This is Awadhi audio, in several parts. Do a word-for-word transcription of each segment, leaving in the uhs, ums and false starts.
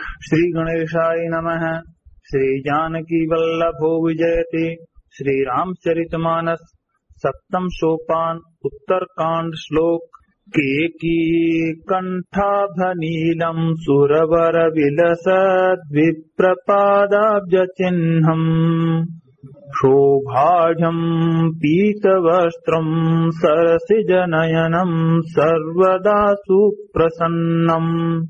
श्री गणेशाय नमः। श्री जानकी वल्लभो विजयते। श्री रामचरित मानस, सप्तम सोपान, उत्तरकांड, श्लोक। केकी कंठाभनीलं सुरवर विलसद् विप्रपादाब्ज चिह्नम्। शोभाढ्यं पीतवस्त्रं सरसिजनयनं सर्वदा सुप्रसन्नम्।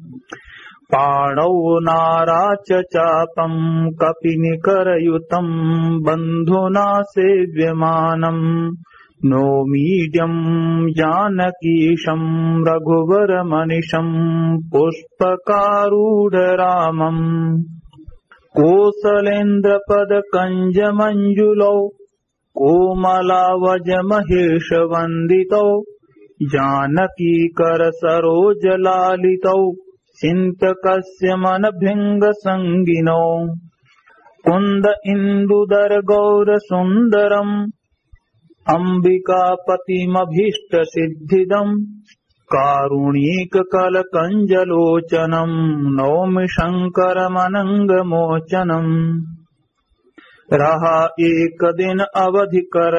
पाणौ नाराच चापं कपिनिकरयुतं बन्धुना सेव्यमानम्। नौमीड्यं जानकीशं रघुवरमनिशं पुष्पकारूढरामम्। कोसलेन्द्रपदकञ्जमञ्जुलौ कोमलावजमहेशवन्दितौ जानकीकरसरोजलालितौ चिन्तकस्य मनभृङ्गसङ्गिनौ। कुन्द इन्दुदर गौर सुन्दरम् अम्बिकापतिमभीष्ट सिद्धिदम्। कारुणिक कल कंज लोचनम् नौमि शंकर मनंग मोचनम्। रहा एक दिन अवधि कर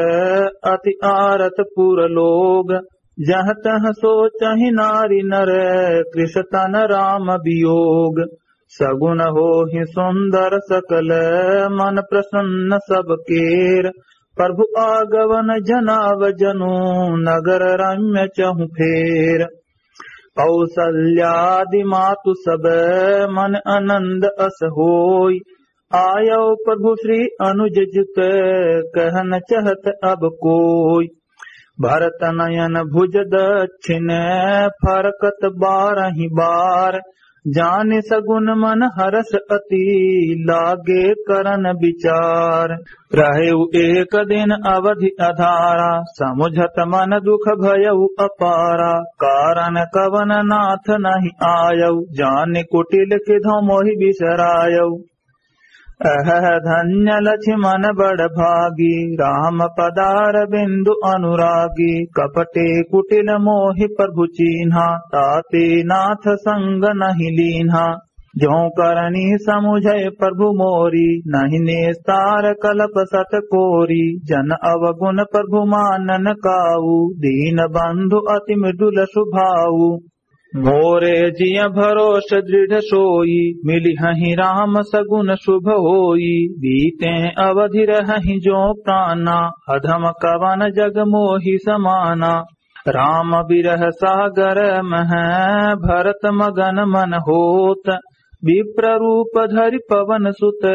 अति आरत पुर लोग। जह तह सोचहि नारि नर कृष तन राम वियोग। सगुन होहि सुंदर सकल मन प्रसन्न सब केर। प्रभु आगवन जनाव जनु नगर रम्य चहु फेर। कौसल्यादि मातु सब मन अनंद अस होई। आयौ प्रभु श्री अनुज जुत कहन चहत अब कोई। भरत नयन भुज दक्षिण फरकत बारहि बार। जानि सगुन मन हरस अति लागे करन बिचार। रहेउ एक दिन अवधि अधारा समुझत मन दुख भयउ अपारा। कारण कवन नाथ नहि आयउ जानि कुटिल किधौ मोहि बिसरायउ। अहह धन्य लक्ष्मण बड़ भागी राम पदारविंदु अनुरागी। कपटे कुटिल मोहि प्रभु चीन्हा ताते नाथ संग नहि लीन्हा। जो करनी समुझै प्रभु मोरी नहि निस्तार कलप सत कोरी। जन अवगुण प्रभु मानन काऊ दीन बंधु अति मृदुल सुभाऊ। मोरे जिय भरोस दृढ़ सोई मिलिहहि राम सगुन शुभ होई। बीते अवधि रहहि जो प्राना अधम कवन जग मोहि समाना। राम बिरह सागर मह भरत मगन मन होत। विप्र रूप धरि पवन सुत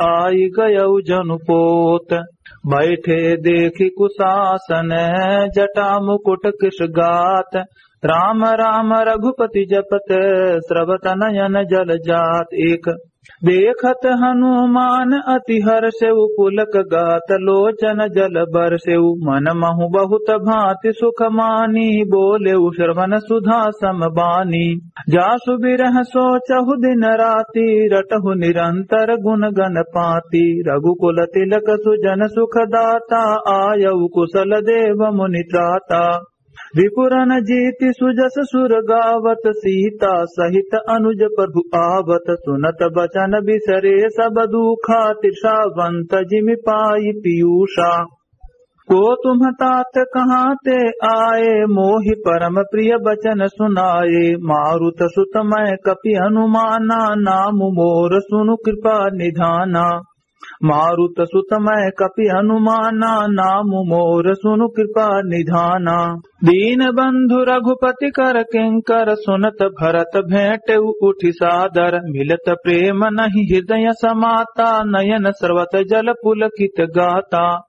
आइ गयउ जनु पोत। बैठे देखि कुशासन जटा मुकुट कृष गात। राम राम रघुपति जपत स्रवत नयन जल जात। एक देखत हनुमान अति हर्षउ पुलक गात लोचन जल बरसेउ। मन महु बहुत भांति सुख मानी बोलेउ श्रवण सुधा सम बानी। जासु बिरह सोचहु दिन राति रटहु निरंतर गुण गन पाती। रघुकुल तिलक सुजन सुख दाता आयउ कुशल देव मुनि त्राता। रिपुरन जीति सुजस सुर गावत सीता सहित अनुज प्रभु आवत। सुनत बचन बिसरे सब दुखा तृषावंत जिमि पाई पीयूषा। को तुम तात कहाँ ते आए मोहि परम प्रिय बचन सुनाए। मारुत सुत मय कपि हनुमाना नाम मोर सुनु कृपा निधाना। मारुत सुत मय कपि हनुमाना नाम मोर सुनु कृपा निधाना। दीन बंधु रघुपति कर किंकर सुनत भरत भेंटेउ उठि सादर। मिलत प्रेम नहि हृदय समाता नयन स्रवत जल पुलकित गाता।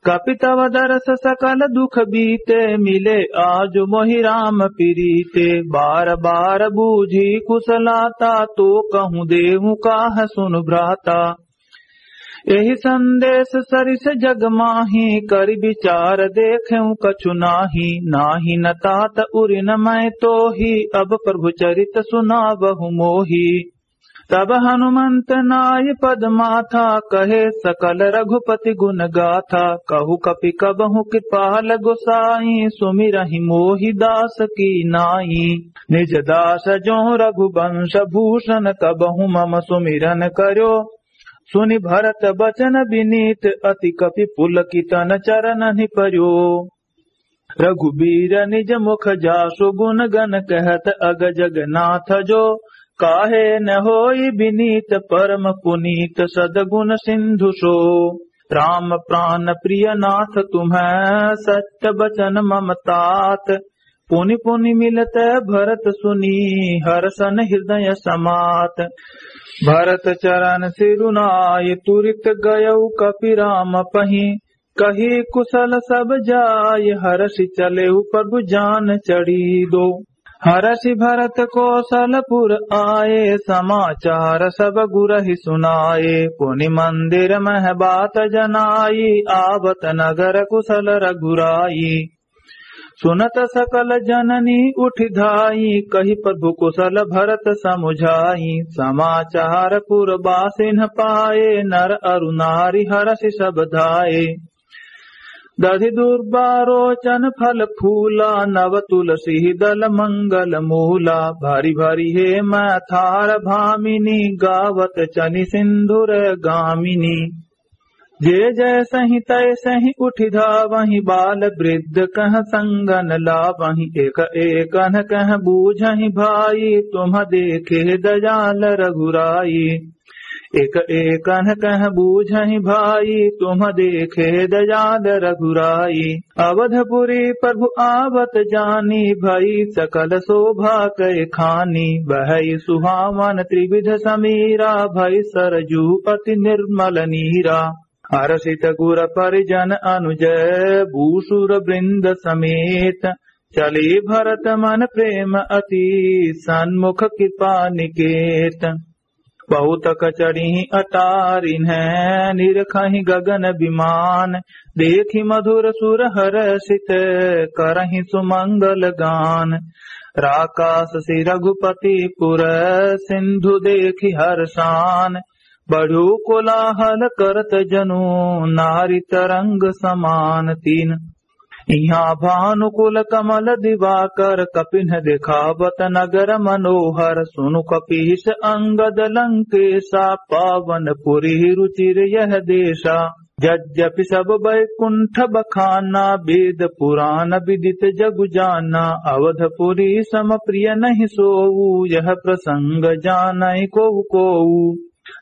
कपि तव दरस सकल दुख बीते मिले आज मोहि राम पिरीते। बार बार बूझी कुशलाता तो कहूँ देहु काह सुनु भ्राता। एहि संदेश सरिस जग माही करि बिचार देखेउ कछु नाही। नाही न तात उरि न मय तोही अब प्रभु चरित सुनावहु मोही। तब हनुमंत नाइ पद माथा, कहे सकल रघुपति गुण गाथा। कहु कपि कबहु कृपाल गोसाई, सुमिरहि मोहि दास की नाई। निज दास जो रघुवंश भूषण, कबहु मम सुमिरन कर्यो। सुनि भरत बचन बिनीत, अति कपि पुलकित तन चरणन्हि पर्यो। रघुबीर निज मुख जासु गुण गन, कहत अग जगनाथ जो। काहे न होई बिनीत, परम पुनीत सदगुण सिंधु सो। राम प्रान प्रिय नाथ तुम्हैं, सत्य बचन मम तात। पुनि पुनि मिलत भरत सुनी, हरषन हृदय समात। भरत चरण सिरुनाय, तुरित गयउ कपि राम पहीं। कहि कुशल सब जाय, हरषि चलेउ प्रभु जान चढ़ी दो। हरषि भरत कोसलपुर आए, समाचार सब गुरहि सुनाए। पुनि मंदिर मह बात जनाई, आवत नगर कुशल रघुराई। सुनत सकल जननी उठि धाई, कहि प्रभु कुशल भरत समुझाई। समाचार पुर बासिन पाए, नर अरु नारी हरषि सब धाए। दधि दुर्वा रोचन फल फूला, नव तुलसी दल मंगल मूला। भरि भरि हेम थार भामिनी, गावत चली सिंधुर गामिनी। जे जैसहि तैसहि उठि धावहि, बाल वृद्ध कह संगन लावहि। एक एकन कह बूझहि भाई, तुम देखे दयाल रघुराई। एक एकन कह बूझहि भाई, तुम देखे दयाल रघुराई। अवधपुरी प्रभु आवत जानी, भई सकल शोभा कै खानी। बहई सुहावन त्रिविध समीरा, भई सरजू अति निर्मल नीरा। हरषित गुर परिजन अनुज, भूसुर वृंद समेत। चली भरत मन प्रेम अति, सन्मुख कृपा निकेत। बहुत कचड़ी अटारिन्है, निरखहि गगन विमान। देखि मधुर सुर हरषित, करहि सुमंगल गान। राकास सि रघुपति पुर, सिंधु देखि हरषान। बढ़्यो कोलाहल करत जनु, नारि तरंग समान। तीन। इहाँ भानुकुल कमल दिवाकर, कपिन्ह देखावत नगर मनोहर। सुनु कपीस अंगद लंकेसा, पावन पुरी रुचिर यह देसा। यद्यपि सब बैकुंठ बखाना, वेद पुराण विदित जगु जाना। अवधपुरी सम प्रिय नहीं सोऊ, यह प्रसंग जानै कोउ कोऊ।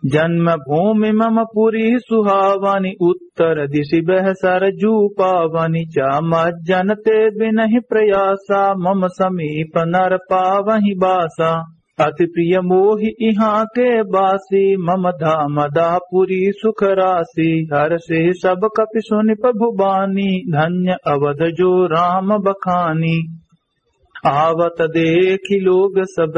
जन्म भूमि मम पुरी सुहावनी, उत्तर दिशि बह सरजू पावनी। चाम जन ते बिनहि प्रयासा, मम समीप नर पावहि बासा। अति प्रिय मोहि इहाँ के बासी, मम धाम दाह पुरी सुख रासी। हरषि सब कपि सुनि प्रभु बानी, धन्य अवध जो राम बखानी। आवत देखि लोग सब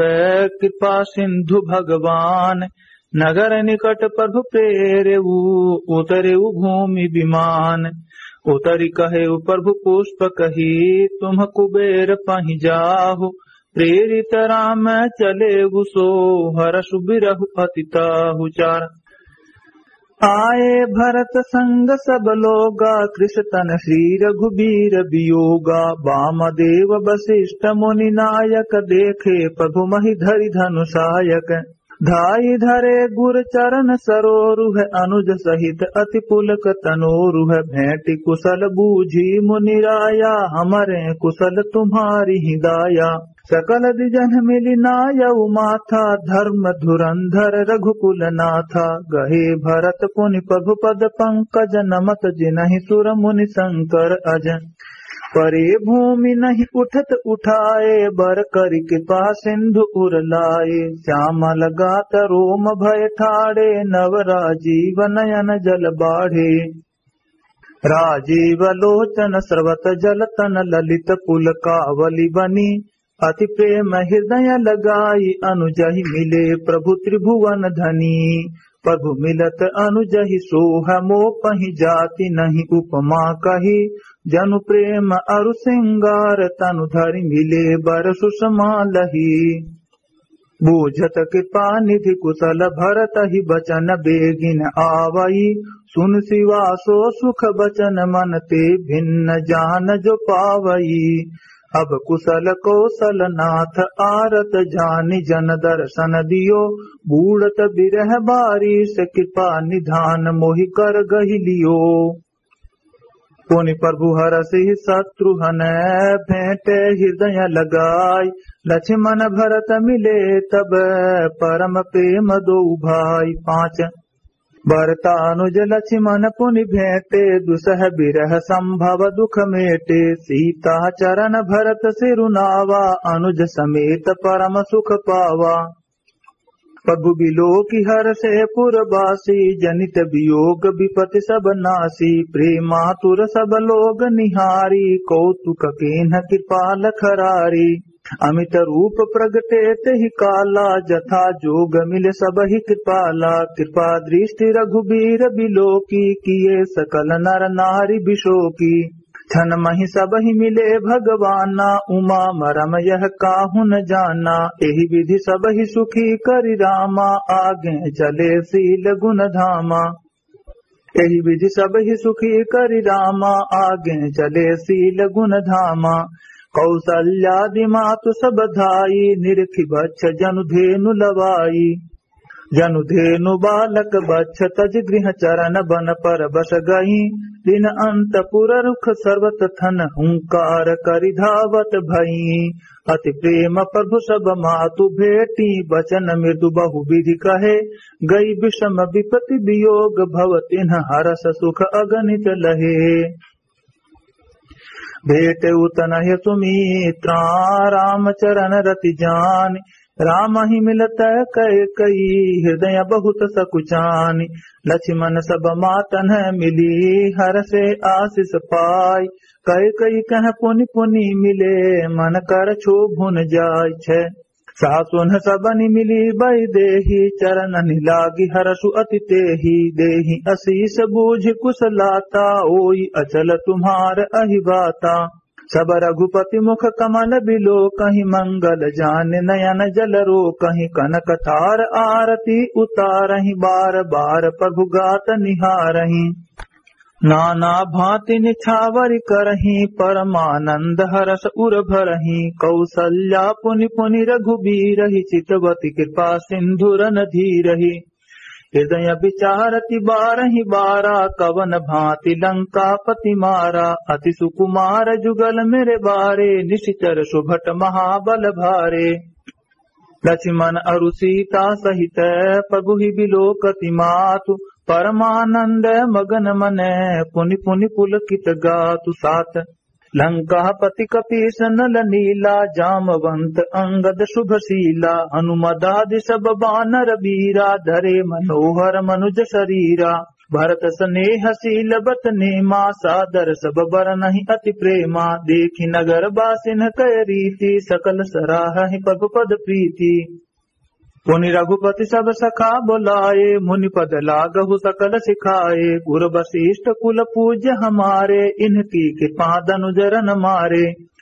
कृपा सिंधु भगवान, नगर निकट प्रभु प्रेरेऊ, उतरेऊ भूमि विमान। उतरि कहेऊ प्रभु पुष्प कही, तुम कुबेर पहि जाहु। प्रेरित राम चलेऊ सो, हरषु बिरहु अति ताहु। चार। आए भरत संग सब लोगा, कृष तन श्री रघुबीर वियोगा। वामदेव वशिष्ठ मुनि नायक, देखे प्रभु महि धरि धनुषायक। धाई धरे गुर चरण सरोरुह, अनुज सहित अति पुलक तनोरुह। भेंटि कुशल बूझी मुनि राया, हमरे कुशल तुम्हारी ही दाया। सकल द्विजन मिलि नायउ माथा, धर्म धुरंधर रघुकुल नाथा। गहे भरत पुनि प्रभु पद पंकज, नमत जिनहि सुर मुनि शंकर अज। परे भूमि नहीं उठत उठाए, बर करि कृपा सिंधु उर लाए। श्यामल गात रोम भय ठाढ़े, नव राजीव नयन जल बाढ़े। राजीव लोचन स्रवत जल तन, ललित पुलकावली बनी। अति प्रेम हृदय लगाई, अनुजहि मिले प्रभु त्रिभुवन धनी। प्रभु मिलत अनुजहि सोह, मोपहि जाति नहीं उपमा कही। जनु प्रेम अरु सिंगार, तनु धरि मिले बर सुषमा लही। बूझत कृपा निधि कुशल भरत ही बचन बेगिन आवई। सुन सिवा सो सुख बचन मन ते भिन्न जान जो पावई। अब कुशल कौशल नाथ आरत जानि जन दर्शन दियो। बूड़त बिरह बारिस कृपा निधान मोहि कर गहि लियो। पुनि प्रभु हरषि शत्रुहन भेंटे हृदय लगाई। लक्ष्मण भरत मिले तब परम प्रेम दोउ भाई। पाँच। भरत अनुज लक्ष्मण पुनि भेंटे दुसह बिरह संभव दुख मेटे। सीता चरण भरत सिरुनावा अनुज समेत परम सुख पावा। प्रभु बिलोकि हरषे पुरबासी जनित वियोग बिपति सब नासी। प्रेमातुर सब लोग निहारी कौतुक केन्ह कृपाल खरारी। अमित रूप प्रगटे तेहि काला जथा जोग मिल सबहि कृपाला। कृपा दृष्टि रघुबीर बिलोकि किए सकल नर नारी बिशोकि। क्षण महि सबहि मिले भगवाना उमा मरम यह काहु न जाना। एहि विधि सबहि सुखी करि रामा आगे चले शील गुण धामा। एहि विधि सबहि सुखी करि रामा आगे चले शील गुण धामा। कौसल्यादि मातु सब धाई निरखि बच्छ जनु धेनु लवाई। जनु धेनु बालक बच्छ तजि गृह चरन बन पर बस गई। दिन अंतपुर रुख सर्वत थन हुंकार करि धावत भई। अति प्रेम प्रभु सब मातु भेटी बचन मृदु बहु विधि कहे। गई बिषम बिपति बियोग भव तिन्ह हरष सुख अगनित लहे। भेटे उतनहि सुमित्रा राम चरण रति जानि। रामहि मिलत कैकई हृदय बहुत सकुचानि। लक्ष्मण सब मातन्ह मिली हरषे आसिस पाई। कैकई कह पुनि पुनि मिले मन कर क्षोभुन जाइ। छे। सासुन्ह सबनि मिली बैदेही चरणन्हि लागि हरषु अति तेही। देहि असीस बूझि कुशलाता ओई अचल तुम्हार अहि बाता। सब रघुपति मुख कमल बिलोकहि मंगल जानि नयन जल रोकहि। कनक थार आरती उतारहि बार बार प्रभु गात निहारहि। नाना भाँति निछावरि करहि परमानंद हरष उर भरहि। कौसल्या पुनि पुनि रघुबीरहि चितवति कृपा सिंधु रन धीरहि। हृदय विचारति बारहि बारा कवन भाँति लंकापति मारा। अति सुकुमार जुगल मेरे बारे निशिचर सुभट महाबल भारे। लक्ष्मण अरु सीता सहित प्रभु ही बिलोकति मातु। परमानंद मगन मन पुनि पुनि पुलकित गातु। सात। लंकापति कपीस नल नीला जामवंत अंगद शुभशीला। हनुमदादि सब बानर बीरा धरे मनोहर मनुज शरीरा। भरत स्नेह शील बत नेमा सादर सब बरनहि अति प्रेमा। देखि नगर बासिन कय रीति सकल सराहहि प्रभु पद प्रीति। पुनि रघुपति सब सखा बोलाए मुनि पद लागहु सकल सिखाए। गुर वशिष्ठ कुल पूज्य हमारे इनकी कृपा दनुज रन मारे।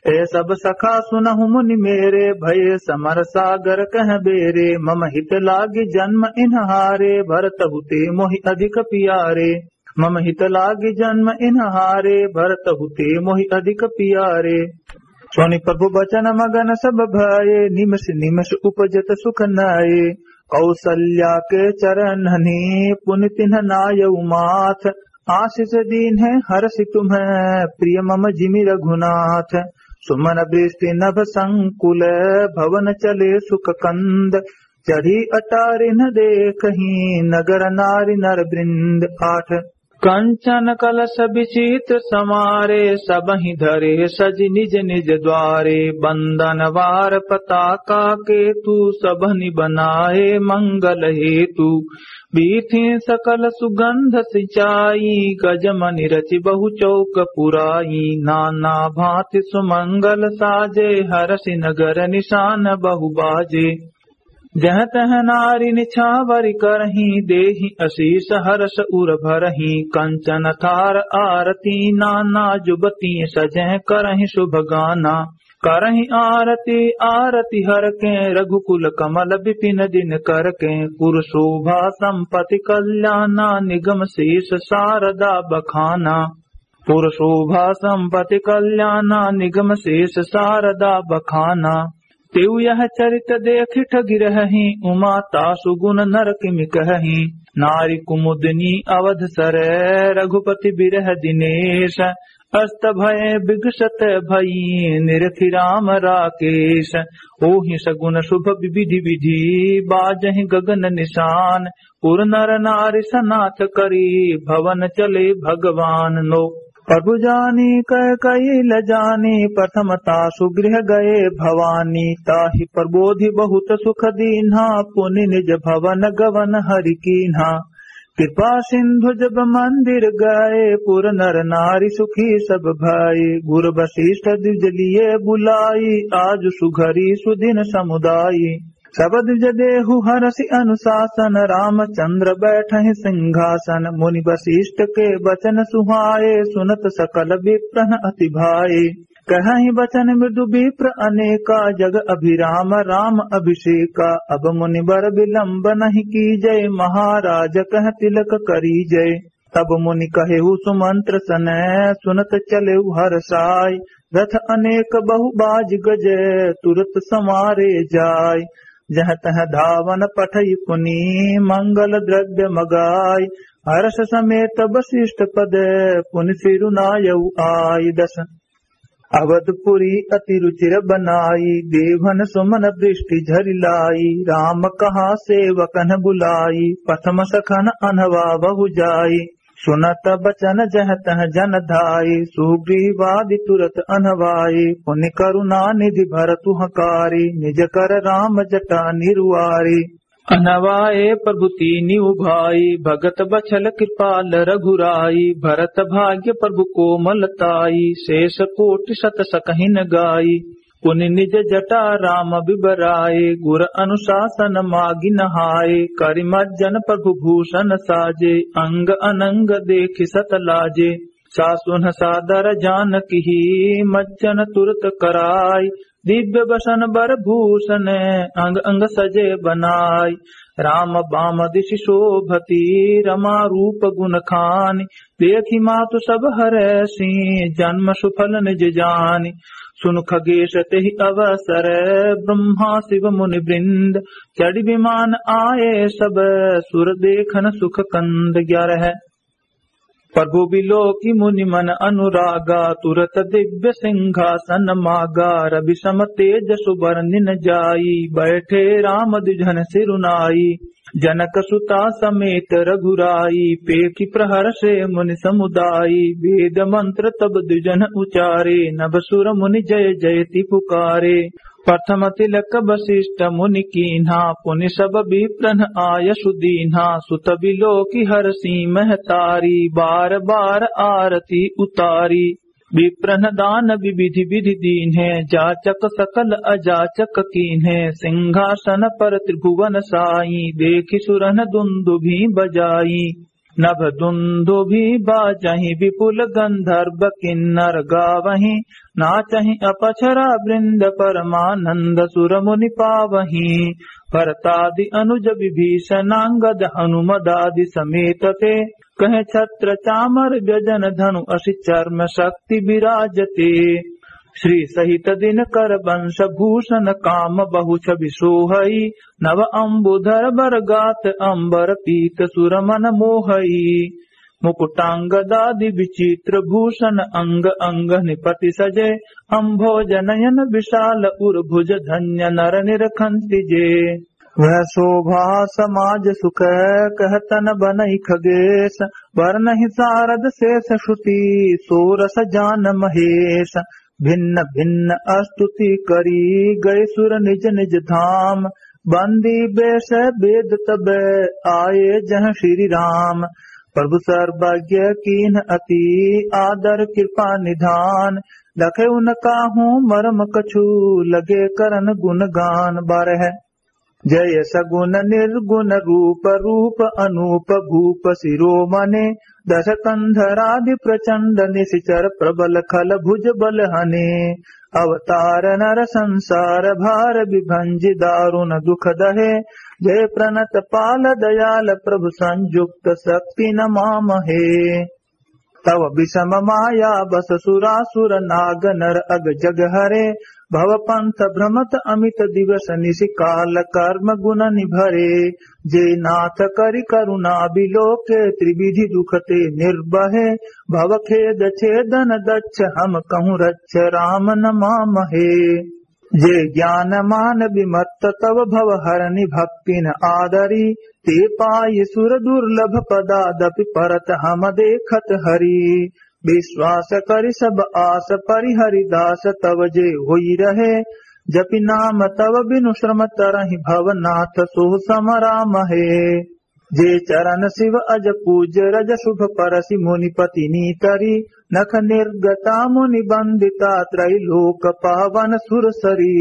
ए सब सखा सुनहु मुनि मेरे भये समर सागर कह बेरे। मम हित लागि जन्म इन्ह हारे भरतहु ते मोहि अधिक पियारे। मम हित लागि जन्म इन्ह हारे भरतहु ते मोहि अधिक पियारे। सुनि प्रभु बचन मगन सब भये निमिष निमिष उपजत सुख नये। कौसल्या के चरणन्हि पुनि तिन्ह नायउ माथ। आसिस दीन्हे हरषि तुम्ह प्रिय मम जिमि रघुनाथ। सुमन वृष्टि नभ संकुल भवन चले सुख कंद। चढ़ी अटारिन्ह देखहि नगर नारि नर वृंद। आठ। कंचन कलश विचित्र समारे सबहि धरे सजि निज निज द्वारे। बंदन वार पताका केतु सबनि बनाए मंगल हेतु। बीथि सकल सुगंध सिंचाई गजमनि रचि बहु चौक पुराई। नाना भाँति सुमंगल साजे हरषि नगर निशान बहु बाजे। जह तह नारि निछावरि करहि देहि असीस हरष उर भरहि। कंचन थार आरती नाना जुबति सजह करहि सुभ गाना। करहिं आरती आरती हर के, रघुकुल कमल बिपिन दिन कर के। पुर शोभा संपति कल्याणा, निगम शेष शारदा बखाना। पुर शोभा संपति कल्याणा, निगम शेष शारदा बखाना। तेउ यह चरित देखि ठगि रहहिं, उमा तासु गुन नर किमि कहहिं। नारि कुमुदिनी अवध सर, रघुपति बिरह दिनेश। अस्त भय बिगसत भई, निरखि राम राकेश। ओहि सगुन शुभ विविधि विधि, बाजहिं गगन निशान। पुर नर नारि सनाथ करी, भवन चले भगवान नो। प्रभु जानी कैकयी लजानी, प्रथम तासु गृह गए भवानी। ताहि प्रबोधि बहुत सुख दीन्हा, पुनि निज भवन गवन हरि कीन्हा। कृपा सिंधु जब मंदिर गए, पुर नर नारि सुखी सब भए। गुर वशिष्ठ द्विज लिए बुलाई, आजु सुघरी सुदिन समुदाई। सब द्विज देहु हरषि अनुशासन, रामचंद्र बैठहिं सिंहासन। मुनि वशिष्ठ के वचन सुहाए, सुनत सकल विप्रन अति भाए। कहहिं वचन मृदु विप्र अनेका, जग अभिराम राम अभिषेका। अब मुनिवर विलंब नहीं कीजै, महाराज कह तिलक करीजै। तब मुनि कहेउ सुमंत्र सनय, सुनत चलेउ हरषाय। रथ अनेक बहु बाजि गजै, तुरत संवारे जाय। जहँ तहँ धावन पठइ पुनि, मंगल द्रव्य मगाय। हर्ष समेत वशिष्ठ पद, पुनि सिरुनायउ आय। दस। अवधपुरी अति रुचिर बनाई, देवन सुमन दृष्टि झरि लाई। राम कहा सेवकन बुलाई, प्रथम सखन अनवा बहु जाई। सुनत बचन जहँ तहँ जन धाई, सुग्रीवादि तुरत अनवाई। पुनि करुणा निधि भरतु हँकारी, निज कर राम जटा निरुआरी। अनवाए प्रभु तीनिउ भाई, भगत बछल कृपाल रघुराई। भरत भाग्य प्रभु कोमल ताई, शेष कोटि सत सकहिन गाई। पुनि निज जटा राम बिबराए, गुर अनुशासन मागि नहाए। करि मज्जन प्रभु भूषण साजे, अंग अनंग देखि सत लाजे। सासुन सादर जानकहि मज्जन तुरत कराय। दिव्य बसन बर भूषन अंग अंग सजे बनाय। राम बाम दिशि शोभति रमा रूप गुन खानि। देखि मातु सब हरषि जन्म सुफल निज जानि। सुनु खगेश तेहि अवसर ब्रह्मा शिव मुनि वृंद। चढ़ि विमान आए सब सुर देखन सुख कंद। ग्यारह। प्रभु बिलोकि मुनि मन अनुरागा, तुरत दिव्य सिंहासन मागा। रवि सम तेजसु बरनि न जाई, बैठे राम द्विजन सिरुनाई। जनक सुता समेत रघुराई, पेखि प्रहरषे मुनि समुदाई। वेद मंत्र तब द्विजन उचारे, नभ सुर मुनि जय जयति पुकारे। प्रथम तिलक वशिष्ठ मुनि कीन्हा, पुनि सब विप्रन आयसु दीन्हा। सुत बिलोकि हरषि महतारी, बार बार आरती उतारी। विप्रन दान विविधि विधि दीन्हे, जाचक सकल अजाचक कीन्हे। सिंहासन पर त्रिभुवन साई, देखि सुरन दुंदुभि बजाई। नभ दुंदुभि बाजहिं विपुल गंधर्व किन्नर गावहिं, नाचहिं अपछरा वृंद परमानंद सुर मुनि पावहिं। भरतादि अनुज विभीषणांगद हनुमदादि समेत ते, कहे छत्र चामर व्यजन धनु असिचर्म शक्ति विराजते। श्री सहित दिनकर वंश भूषण काम बहु छवि सोहई। नव अंबुधर बर गात अंबर पीत सुर मन मोहई। मुकुटांगदादि विचित्र भूषण अंग अंग निपति सजे। अंभोज नयन विशाल उर भुज धन्य नर निरखंति जे। वह शोभा समाज सुख कहत न बनई खगेश। वरनहिं सारद शेष श्रुति सोरस जान महेश। भिन्न भिन्न स्तुति करी गए सुर निज निज धाम। बंदी बेष बेद तब आए जहँ श्री राम। प्रभु सर्वज्ञ कीन्ह अति आदर कृपा निधान। लखे उनकाहू मरम कछु लगे करन गुणगान। बारह। जय सगुन निर्गुन रूप रूप अनूप भूप शिरोमणे। दशकंधरादि प्रचंड निशिचर प्रबल खल भुज बल हने। अवतार नर संसार भार विभंजि दारुण दुख दहे। जय प्रणत पाल दयाल प्रभु संयुक्त शक्ति नमामहे। तव विषम माया बस सुरासुर नाग नर अग जग हरे। भव पंथ भ्रमत अमित दिवस निशि काल कर्म गुण निभरे। जे नाथ करि करुणा बिलोके त्रिविधि दुख ते निर्बहे। भव खेद छेदन दक्ष हम कहूँ रक्ष राम नमामहे। जे ज्ञान मान विमत्त तव भव हरनि भक्तिन आदरी। ते पाइ सुर दुर्लभ पदादपि परत हम देखत हरि। विश्वास करि सब आस परिहरि दास तव जे होइ रहे। जपि नाम तव बिनु श्रम तरहि भव नाथ सोह सम रामहे। जे चरण शिव अज पूज रज शुभ परसि मुनिपति नीतरी। नख निर्गता मुनि बंदिता त्रैलोक पावन सुर सरी।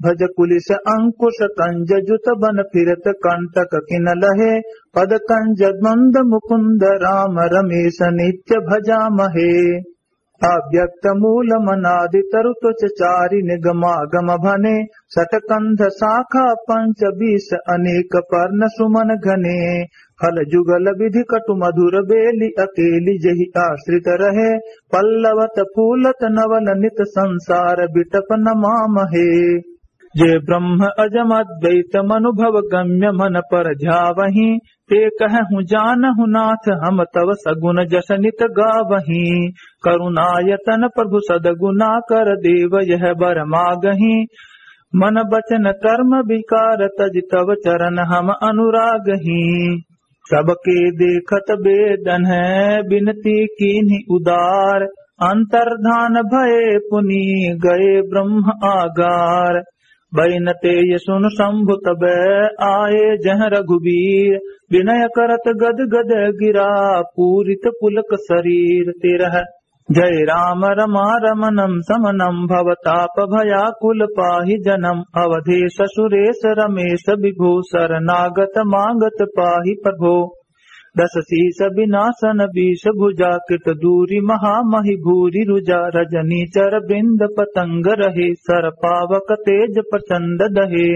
भज कुलिस अंकुश कंज जुत बन फिरत कंटक किन लहे। पद कंज मंद मुकुंद राम रमेश नित्य भजामहे। अव्यक्त मूल मनादि तरु त्वच चारि निगमागम भने। सट कंध शाखा पंच बीस अनेक पर्ण सुमन घने। फल जुगल विधि कटु मधुर बेलि अकेलि जहि आश्रित रहे। पल्लवत फूलत नवल नित संसार बिटप नमामहे। जे ब्रह्म अजम अद्वैत मनुभव गम्य मन पर ध्यावहीं। ते कहहु जानहु नाथ हम तव सगुन जस नित गावहीं। करुणायतन प्रभु सदगुना कर देव यह बर मागहीं। मन बचन कर्म विकार तजि तव चरण हम अनुरागहीं। सबके देखत बेदन है बिनती कीन्हि उदार। अंतर्धान भये पुनि गए ब्रह्म आगार। बैनते ये सुन शंभु तब आए जह रघुबीर। विनय करत गद गद गिरा पूरित पुलक शरीर। तेरह। जय राम रमा रमणम समनम भवताप भयाकुल पाहि जनम। अवधेश सुरेश रमेश विभो शरणागत मागत पाहि प्रभो। दस शीश बिनासन बीस भुजा कित दूरि महामहि भूरि रुजा। रजनी चर बिंद पतंग रहे सर पावक तेज प्रचंड दहे।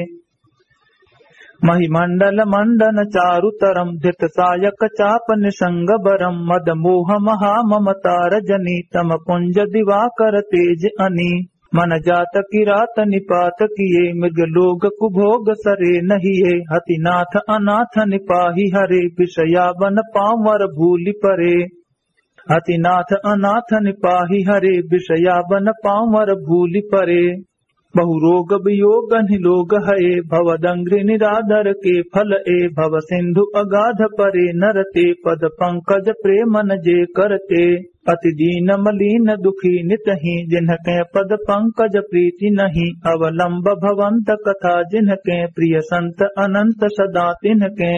महि मंडल मंडन चारु तरम धृत सायक चाप निसंग बरम। मद मोह महा ममता रजनी तम पुंज दिवाकर तेज अनी। मन जात किरात निपात किए मृग लोग कुभोग सरे नहिए। हतिनाथ अनाथ निपाहि हरे विषया बन पावर भूलि परे। हतिनाथ अनाथ निपाहि हरे विषया बन पावर भूलि परे। बहु रोग वियोग निलोग हए भव दंग्रि निरादर के फल ए। भव सिंधु अगाध परे नर ते पद पंकज प्रेमन जे करते। अति दीन मलीन दुखी नितहि जिनके पद पंकज प्रीति नहीं। अवलंब भवंत कथा जिनके प्रिय संत अनंत सदा तिनके।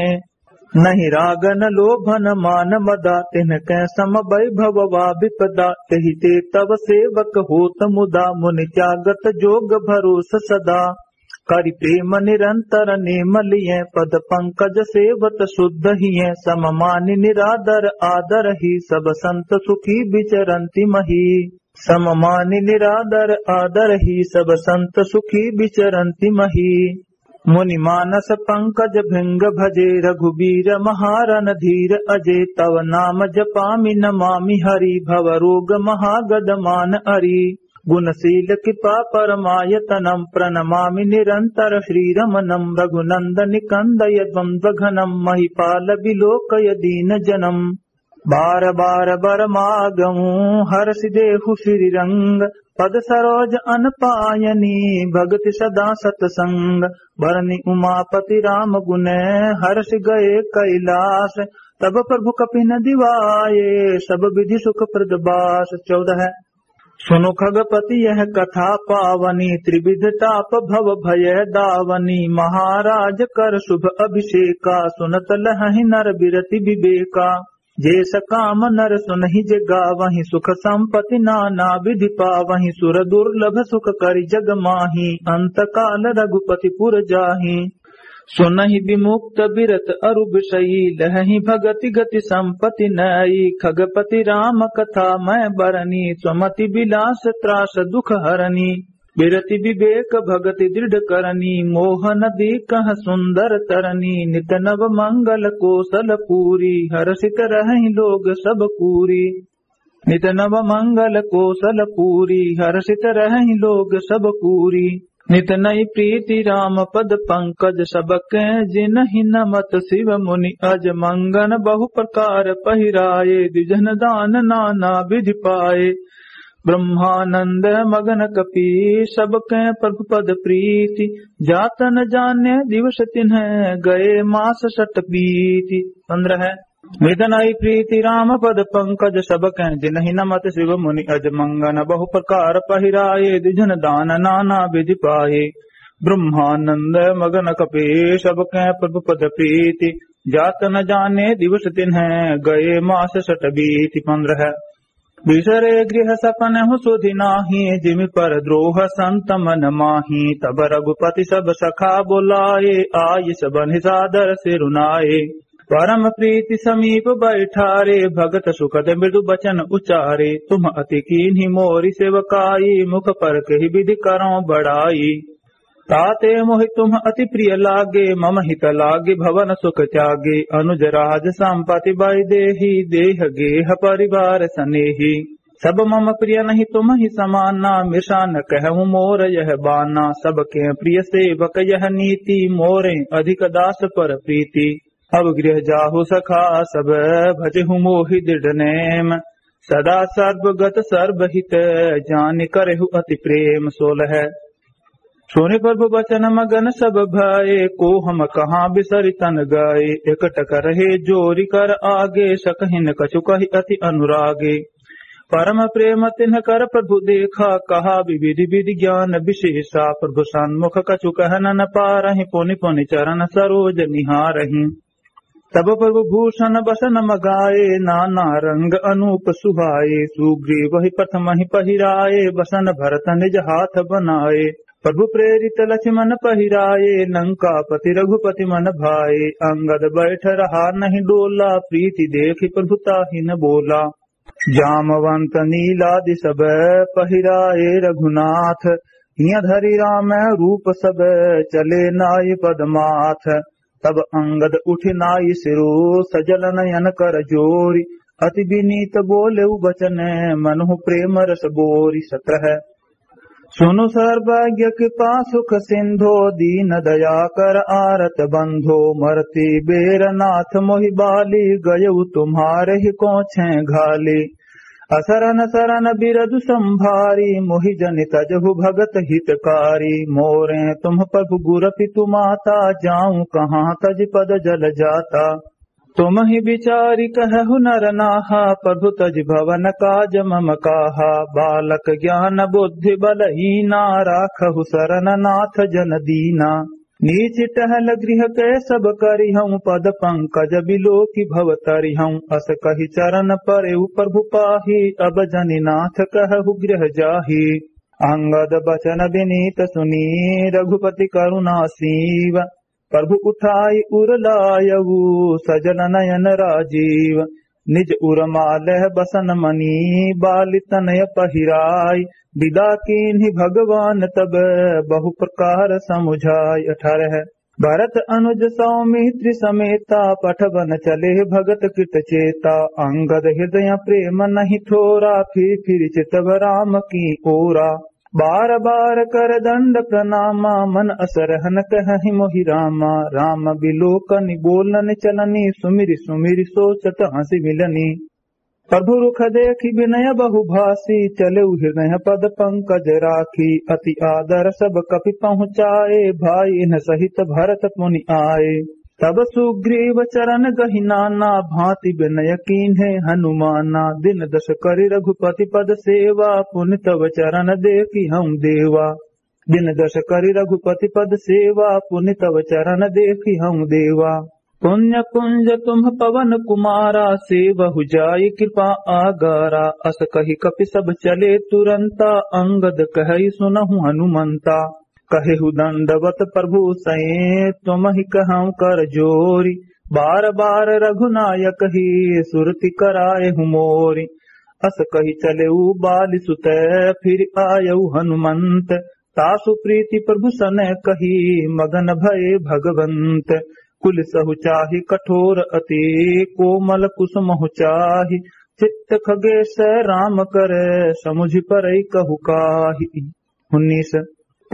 नहीं राग न लोभ न मान मदा तिनके सम वैभव वा विपदा। तेहि ते तव सेवक होत मुदा मुनि त्यागत जोग भरोस सदा। करि प्रेम निरंतर नेम लिये पद पंकज सेवत शुद्ध हिये। सम मानि निरादर आदर ही सब संत सुखी विचरंति मही। सम मानि निरादर आदर ही सब संत सुखी विचरंति मही। मुनि मानस पंकज भृंग भजे रघुबीर महारन धीर अजे। तव नाम जपामि नमामि हरि भव रोग महागद मान अरि। गुणशील कृपा परमायतनम प्रणमामि निरंतर श्रीरमणम। रघुनंदन कंदय द्वंद्व घनम महिपाल विलोकय दीन जनम। बार बार बर मागऊं हर्ष देहु श्री रंग। पद सरोज अन पायनी भगति सदा सतसंग। बरनि उमापति राम गुण हर्ष गए कैलास। तब प्रभु कपि न दिवाए सब विधि सुख प्रद बास। चौदह। सुनु खगपति यह कथा पावनी त्रिविध ताप भव भय दावनी। महाराज कर शुभ अभिषेका सुनत लहहि नर बिरति विवेका। जे सकाम नर सुनहि जे गावहि सुख संपति नाना विधि पावहि। सुर दुर्लभ सुख करि जग माहि अंत काल रघुपति पुर जाहि। सुनहि विमुक्त बिरत अरु विषयी, लहहि भगति गति संपति नई। खगपति राम कथा मय बरनी, सुमति विलास त्रास दुख हरनी। बिरति विवेक भगति दृढ़ करनी, मोह नदी कह सुंदर तरनी। नित नव मंगल कोसल पूरी, हर्षित रहहि लोग सब कूरी। नित नव मंगल कोसल पूरी, हर्षित रहहि लोग सब कूरी। नित नई प्रीति राम पद पंकज, सबके जिनहि नमत शिव मुनि अज। मंगन बहु प्रकार पहिराए, द्विजन दान नाना विधि पाए। ब्रह्मानंद मगन कपि, सबके प्रभु पद प्रीति। जात न जाने दिवस तिन्ह, गए मास सट बीति। पन्द्रह। नित नई प्रीति राम पद पंकज, सबके जिनहि नमत शिव मुनि अज। मंगन बहु प्रकार पहिराए, द्विजन दान नाना विधि पाए। ब्रह्मानंद मगन कपि, सबके प्रभु पद प्रीति। जात न जाने दिवस तिन्ह, गए मास सट बीति। पन्द्रह। बिसरे गृह सपनहु सुधि नाही, जिमि पर द्रोह संत मन माही। तब रघुपति सब सखा बोलाए, आइ सबन्हि सादर सिरुनाए। परम प्रीति समीप बैठारे, भगत सुखद मृदु बचन उचारे। तुम अति कीन्ही मोरी सेवकाई, मुख परकहि विधि करौं बड़ाई। ताते मोहि तुम अति प्रिय लागे, मम हित लागे भवन सुख त्यागे। अनुज राज संपति वैदेही, देह गेह परिवार सनेही। सब मम प्रिय नहीं तुमहि समाना, मृषा न कहूँ मोर यह बाना। सबके प्रिय सेवक यह नीति, मोरे अधिक दास पर प्रीति। अब गृह जाहु सखा सब, भजहु मोहि दृढ़ नेम। सदा सर्वगत सर्वहित, जानि करहु अति प्रेम। सोलह। सुनि प्रभु बचन मगन सब भए, को हम कहाँ बिसरि तन गए। एकटक रहे जोरि कर आगे, सकहिन कछु कहि अति अनुरागे। परम प्रेम तिन्ह कर प्रभु देखा, कहा विविध विधि ज्ञान विशेषा। प्रभु सन्मुख कछु कहन न पारहिं, पुनि पुनि चरण सरोज निहारहिं। तब प्रभु भूषण बसन मगाए, नाना रंग अनूप सुहाए। सुग्रीव ही प्रथम ही पहिराए, बसन भरत निज हाथ बनाए। प्रभु प्रेरित लक्ष्मण पहिराए, लंकापति रघुपति मन भाए। अंगद बैठ रहा नहीं डोला, प्रीति देखि प्रभु ताहि न बोला। जामवंत नीलादि सब पहिराए रघुनाथ, हिय धरि राम रूप सब चले नाइ पद माथ। तब अंगद उठि नाइ सिरो सजल नयन कर जोरि, अति विनीत बोलेउ बचन मनहु प्रेम रस बोरि। सत्रह। सुनु सर्वज्ञ कृपा सुख सिंधो, दीन दया कर आरत बंधो। मरति बेर नाथ मोहि बाली, गयउ तुम्हारे ही कोछे घाली। असरन सरन बिरदु संभारी, मोहि जनि तजहु भगत हितकारी। मोरे तुम प्रभु गुर पितु माता, जाऊं कहाँ तजि पद जल जाता। तुमहि बिचारि कहहु नर नाहा, प्रभु तजि भवन काज मम काहा। बालक ज्ञान बुद्धि बलहीना, राखहु सरन नाथ जन दीना। नीचि टहल गृह के सब करिहउँ, पद पंकज बिलोकि भव तरिहउँ। अस कहि चरन परेउ प्रभु पाही, अब जनि नाथ कहहु गृह जाही। अंगद बचन बिनीत सुनी, रघुपति करुणा सीव। प्रभु उठाई उर लायउ, सजल नयन राजीव। निज उर मालह बसन मनी, बालि तनय पहिराई। बिदा कीन्हि भगवान तब, बहु प्रकार समुझाई। अठारह। भरत अनुज सौमित्रि समेता, पठवन चले भगत कृत चेता। अंगद हृदय प्रेम नहीं थोरा, फिर फिर चितव राम की ओरा। बार बार कर दंड प्रणामा, मन अस रहन कहहि मोहि रामा। राम बिलोकनि बोलनि चलनी, सुमिरि सुमिरि सोचत हँसि मिलनी। प्रभु रुख देखि बिनय बहुभाषी, चलेउ हृदय पद पंकज राखी। अति आदर सब कपि पहुँचाए, भाई इन्ह सहित भरत मुनि आए। तब सुग्रीव चरण गहि नाना, भाँति बिनय कीन्हे हनुमाना। दिन दस करि रघुपति पद सेवा, पुनि तव चरण देखिहउँ देवा। दिन दस करि रघुपति पद सेवा, पुनि तव चरण देखिहउँ देवा। पुण्य कुंज तुम पवन कुमारा, सेवहु जाइ कृपा आगारा। अस कहि कपि सब चले तुरंता, अंगद कहइ सुनहु हनुमंता। कहेहु दंडवत प्रभु सैं, तुमहि कहउँ कर जोरि, बार बार रघुनायक ही, सुरति कराएहु मोरि। अस कहि चलेउ बालि सुत, फिरि आयउ हनुमंत। तासु प्रीति प्रभु सनकही, मगन भए भगवंत। कुलि सहु चाहि कठोर अति, कोमल कुसुमहु चाहि। चित्त खगेस राम कर, समुझि परइ कहु काहि। उन्नीस।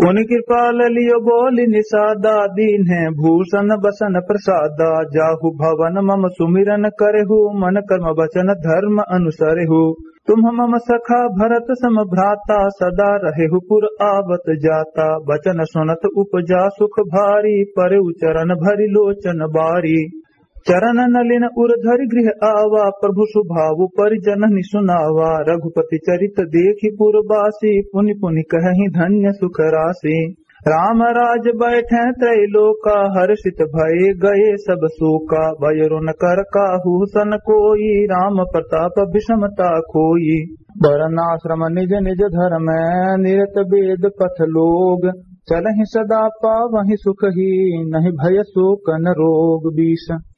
पुनि कृपाल लियो बोलि निषादा, दीन्हैं भूषण बसन प्रसादा। जाहु भवन मम सुमिरन करेहु, मन कर्म बचन धर्म अनुसरेहु। तुम्ह मम सखा भरत सम भ्राता, सदा रहेहु पुर आवत जाता। बचन सुनत उपजा सुख भारी, परेउ चरण भरि लोचन बारी। चरण नलिन उर धरि गृह आवा, प्रभु सुभाव परिजनहि सुनावा। रघुपति चरित देखि पुरबासी, पुनि पुनि कहहिं धन्य सुख रासी। राम राज बैठे त्रैलोका, हर्षित भए गए सब शोका। भय रुन कर काहू सन कोई, राम प्रताप विषमता खोई। वरनाश्रम निज निज धर्म, निरत वेद पथ लोग। चलहिं सदा पावहिं सुख ही, नहीं भय शोक न रोग। बीस।